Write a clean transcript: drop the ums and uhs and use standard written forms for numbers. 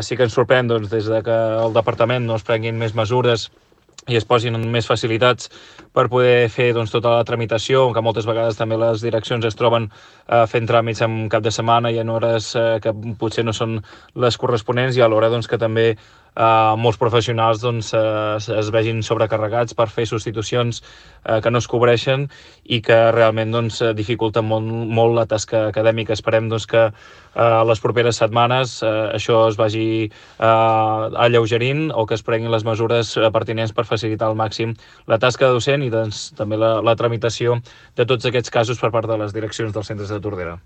sí que ens sorprèn des que el departament no es prenguin més mesures i es posin més facilitats per poder fer tota la tramitació, que moltes vegades també les direccions es troben fent tràmits en cap de setmana i en hores que potser no són les corresponents, i alhora que també molts professionals es vegin sobrecarregats per fer substitucions que no es cobreixen i que realment dificulten molt la tasca acadèmica. Esperem que les properes setmanes això es vagi alleugerint, o que es prenguin les mesures pertinents per facilitar al màxim la tasca docent i també la tramitació de tots aquests casos per part de les direccions dels centres de Tordera.